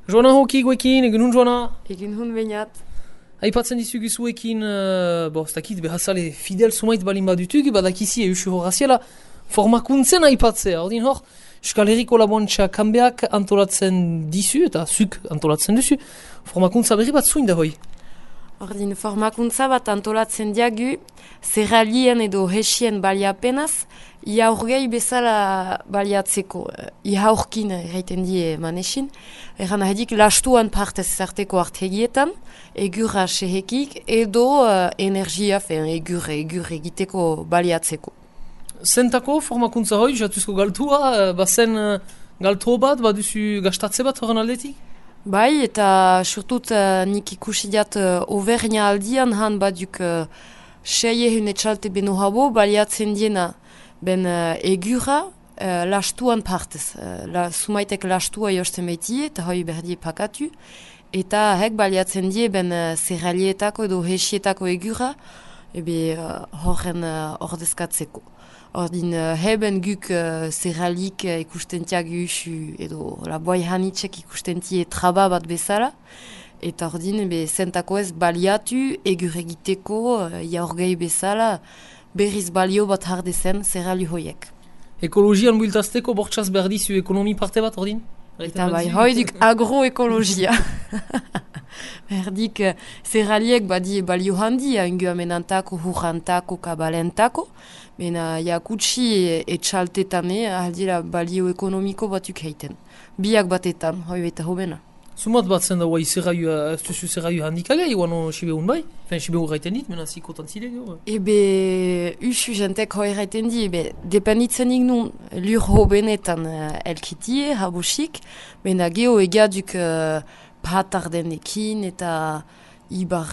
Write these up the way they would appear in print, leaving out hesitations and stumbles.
Joana hoki guekin, egun hun Joana? Egin hun bainat. Aipatzen dizugu zuekin, ez dakit, behazale fidel sumait balin badutug, badakizi eusu horaziela formakuntzen aipatzea. Ordin hor, Euskal Herriko Laboantxa kanbeak antolatzen dizu, eta zuk antolatzen duzu, formakuntza berri bat zuin da hoi? Ordin, formakuntza bat antolatzen diagu, zerralien edo hesien baliapenaz, iaurgei bezala baliatzeko. Iaurkin erraiten die manesin. Erran ahedik, lastuan partez zarteko artegietan, egurra sehekik, edo energia, egur egiteko baliatzeko. Zentako formakuntza hoi, jatuzko galtua, bazen galtu bat, baduzu gastatze bat horren aldetik? Bai, eta surtut nik ikusi diat overnia aldian han baduk seie hun etxalte beno habo baliatzen diena ben egura lastuan partez. Sumaitek lastua josten behiti eta hoi berdie pakatu. Eta hek baliatzen die ben zerralietako edo hesietako egura horren ordezkatzeko. Ordin heben guk zerralik ikusten tiagu edo laboai hanitzek ikusten tie traba bat bezala. Eta ordin zentako ez baliatu egur egiteko jaurgei bezala berriz balio bat hardezen zerrali hoiek. Ekologian builtazteko bortxaz berdizu ekonomi parte bat ordin? Eta bai, hoiduk agroekologia. Berdik zerraliek badi balio handia ingo amenantako, hurrantako, kabalentako. Mena jakutsi etxaltetane aldira balio ekonomiko batuk heiten. Biak batetan, hoi beta hobena. Sumat bat zen da guai ez duzu zerraio handikagai, guano Sibeun bai? Sibeun gaiten dit, mena zikotan zide gero. Usu jentek hoi gaiten di, dependitzen nun lur hobenetan elkitie, habosik, mena geho egaduk patardenekin eta ibar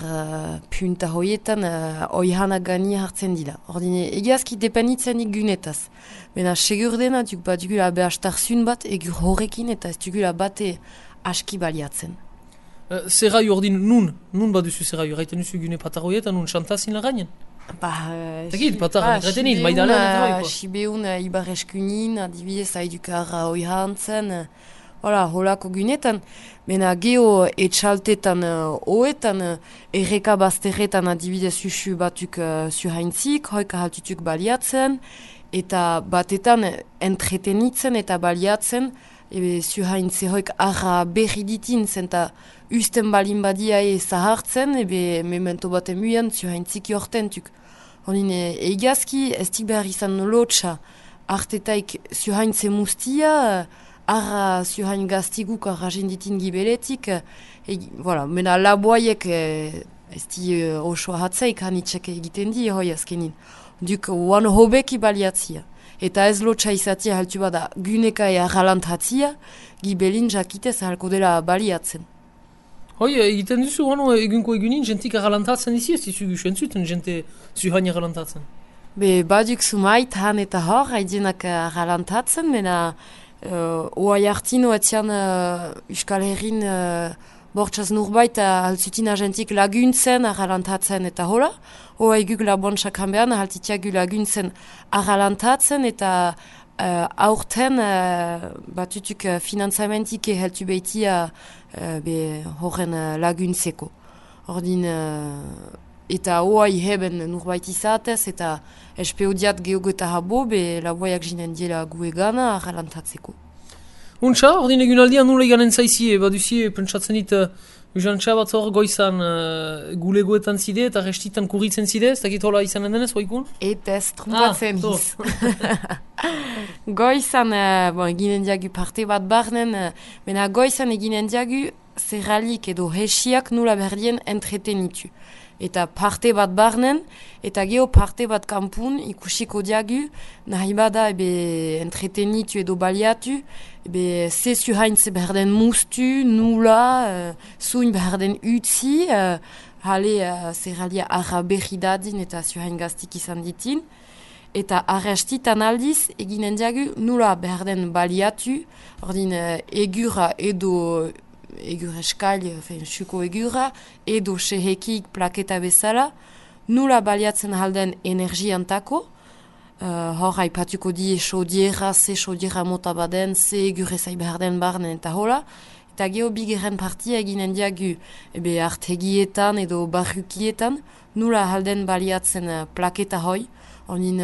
punta hoietan oihanak gani hartzen dira. Ordine, egazki dependitzen gunetaz. Mena segur dena duk bat dugula behastarzun bat egur horrekin eta ez dugula bate aski baliatzen. Zerraio ordin nun baduzu zerraio, gaiten duzu gune patar hoietan nun xantazin lagainen? Tegit, patar retenit, maidalen eta hoiko. Sibeun ibar eskunin, adibidez haidukara oihantzen, holako gunetan, mena geho etxaltetan oetan, erreka bazterretan adibidez usu batuk zuhaintzik, hoika haltutuk baliatzen, eta batetan entretenitzen eta baliatzen, zuhaintze hoik arra berri ditin zen, eta usten balin badia zahartzen, memento baten muian zuhaintzik jortentuk. Honin egazki ez tik behar izan lotxa, artetaik zuhaintze mustia, arra zuhain gaztiguk arra jenditin gibeletik, mena laboaiek ez di oso hatzaik hanitzek egiten di hoi azkenin. Duk oan hobeki baliatzia. Eta ez lotxa izatia haltu bada guneka arralant hatzia, gibelin jakitez halko dela baliatzen. Hoi, egiten duzu egunko egunin jentik arralantatzen izi, ez dizugu sentzuten jente zuhain arralantatzen? Baduk sumait han eta hor, haidienak arralantatzen, mena oa jartino etian Euskal Herrin bortxaz nurbait haltzutin agentik laguntzen arralantatzen eta hola. Oa eguk Laboantxak hanbean haltitiagu laguntzen arralantatzen eta aurten batutuk finanzamentik heltu behitia horren laguntzeko. Ordin, eta oa iheben nurbait izatez eta espeodiat geogeta habo laboiak jinen diela guegana arralantatzeko. Untxa, ordin egun aldian nula iganen zaizie, baduzie pentsatzen dit Uzantxa bat hor goizan gulegoetan zide eta restitan kurritzen zide, ez dakit hola izanen denez, hoikun? Eta ez trumpatzen iz. Goizan, eginen diagu parte bat barnen, mena goizan eginen diagu zerralik edo hesiak nula berdien entretenitu. Eta parte bat barnen, eta geho parte bat kampun ikusiko diagu, nahi bada entretenitu edo baliatu, zezu haintze berden mustu, nula, zuin berden utzi, zerralia arra berri dadin eta zuhain gaztik izan ditin. Eta arrestitan aldiz eginen diagu nula berden baliatu, ordin egura edo egur eskail, suko egura, edo sehekik plaketa bezala, nula baliatzen halden energiantako, hor haipatuko di sodiera, ze sodiera mota baden, ze egure zai behar den barnen eta hola, Eta geho bigarren partia eginen diagu artegietan edo barrukietan, nula halden baliatzen plaketa hoi, honin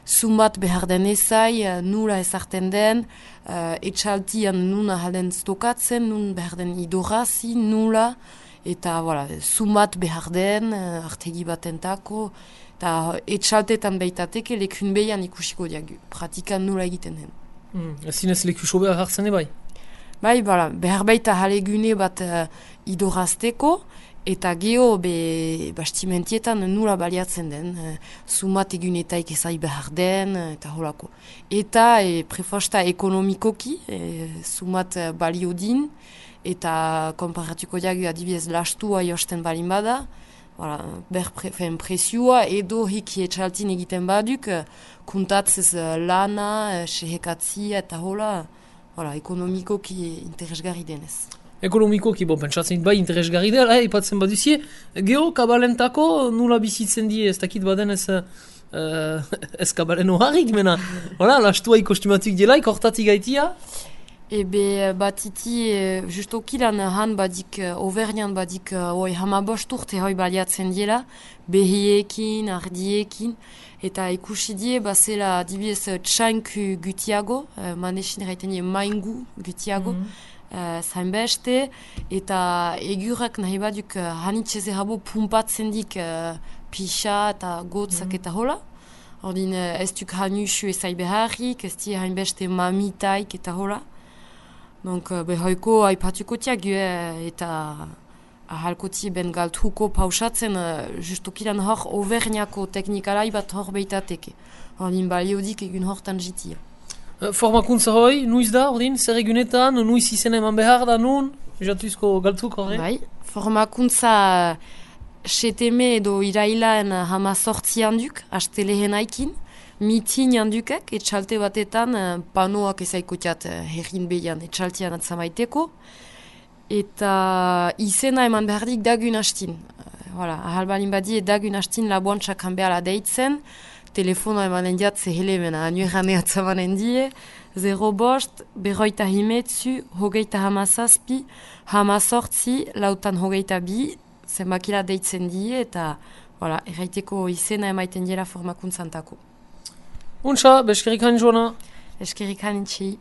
sumat behar den ezai, nula ezarten den, etxaltian nuna halden stokatzen, nun behar den idorazi, nula, eta sumat behar den, artegi batentako, eta etxaltetan behitateke lekun behian ikusiko diagu, pratikan nula egiten den. Zinez leku sobea hartzen bai? Bai, behar baita halegune bat idorazteko, eta geho bastimentietan nula baliatzen den, sumat egunetaik ezai behar den, eta holako. Eta prefosta ekonomikoki, sumat balio din, eta konparatuko diagu adibidez lastua josten balin bada, presioa edo hiki etxaltin egiten baduk, kuntatzez lana, sehekatzia eta hola, ekonomikoki interesgarri denez. Ekonomikoki, pentsatzen bai interesgarri dela, ipatzen baduzie, geho kabalentako nula bizitzen die, ez dakit baden ez kabalen oharrik, mena, lastua ikostimatuk delaik, hortatik gaitia? Batiti, justokilan han badik, overnian badik, hamabost urte hoi baliatzen diela, behiekin, ardiekin, eta ikusi die, zela dibidez txanku gutiago, manesin erraiten die maingu gutiago, zainbeste, eta egurak nahi baduk hanitxeze habo pumpatzen dik pixa eta gotzak eta hola. Ordin ez duk hanusu ezai beharrik, ez di hainbeste mamitaik eta hola. Donc, behoiko aipatuko tiagu eta ahalkoti ben galtruko pausatzen justokilan hor overniako teknikalai bat hor behitateke. Ordin baliodik egun hortan jitia. Formakuntza hoi, nuiz da, ordin, zer egunetan, nuiz izen eman behar da nun, jatuzko galtruk horre? Bai, formakuntza seteme edo irailan hamazortzi handuk, haste lehen aikin, mitin handukak, etxalte batetan panoak ezaikotiat herrin behian etxaltian atzamaiteko, eta izena eman behardik dagun hastin. Ahal balin badie dagun hastin laboantxak hanbeala deitzen, telefono emanen diat zehele mena, anuerane atzamanen die, 0 bost, berroita himetzu, hogeita hamazazpi, hamazortzi, lautan hogeita bi, zenbakila deitzen die, eta erraiteko izena emaiten diela formakuntzantako. Untxa, beskerik hain joana. Eskerik hain txi.